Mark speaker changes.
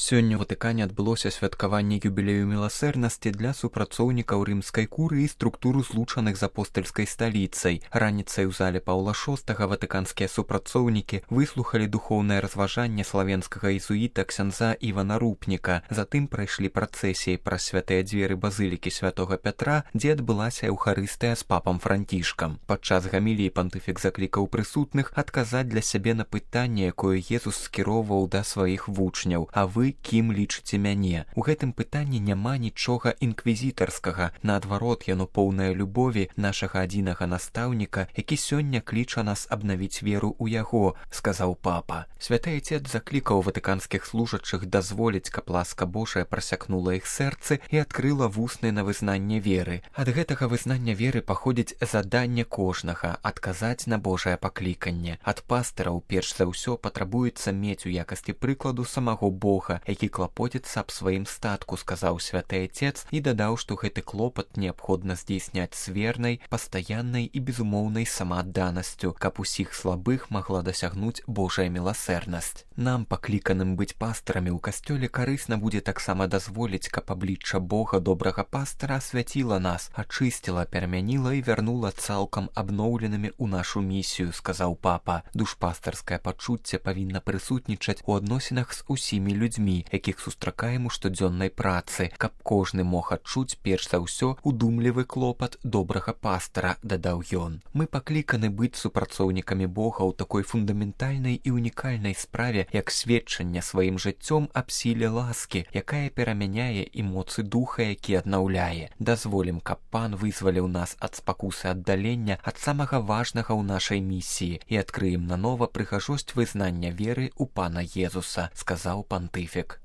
Speaker 1: Сёння ў Ватыкане адбылося святкаванне юбілею міласэрнасці для супрацоўнікаў рымскай курыі і структуру злучаных з апостальскай сталіцай. Раніцай у зале Паўла VI ватыканскія супрацоўнікі выслухалі духоўнае разважанне славенскага езуіта ксяндза Івана Рупніка. Затым прайшлі працэсіі праз святыя дзверы базылікі святога Пятра, дзе адбылася эўхарыстыя з папам Францішкам. Падчас гаміліі пантыфік заклікаў прысутных адказаць для сябе на пытанне, якое Езус скіроўваў да сваіх вучняў: «А вы кім лічыце мяне?» У гэтым пытанні няма нічога інквізітарскага. Наадварот, яно поўнае любові нашага адзінага настаўніка, які сёння кліча нас абнавіць веру ў яго, сказаў папа. Святы Айцец заклікаў ватыканскіх служачых дазволіць, каб ласка Божая прасякнула іх сэрцы і адкрыла вусны на вызнанне веры. Ад гэтага вызнання веры паходзіць заданне кожнага адказаць на Божае пакліканне. Ад пастыраў перш за ўсё патрабуецца мець у якасці прыкладу самого Бога, які клапоціцца аб сваім статку, сказаў святы Айцец і дадаў, што гэты клопат неабходна здзейсняць з вернай, пастаяннай і безумоўнай самаадданасцю, каб усіх слабых магла дасягнуць Божая міласэрнасць. Нам, пакліканым быць пастарамі ў касцёле, карысна будзе таксама дазволіць, каб аблічча Бога, добрага пастара, асвяціла нас, ачысціла, перамяніла і вярнула цалкам абноўленымі ў нашу місію, сказаў папа. Душпастарскае пачуцце павінна прысутнічаць у адносінах з усімі людзьмі, якіх сустракаем у штодзённай працы, каб кожны мог адчуць перш за ўсё удумлівы клопат добрага пастара, дадаў ён. Мы пакліканы быць супрацоўнікамі Бога ў такой фундаментальнай і унікальнай справе, як сведчанне сваім жыццём аб сіле ласкі, якая перамяняе і моцы духа, які аднаўляе. Дазволім, каб Пан вызваліў нас ад спакусы аддалення ад самага важнага ў нашай місіі і адкрыем нанова прыгажосць вызнання веры ў Пана Езуса, сказаў пантыфік.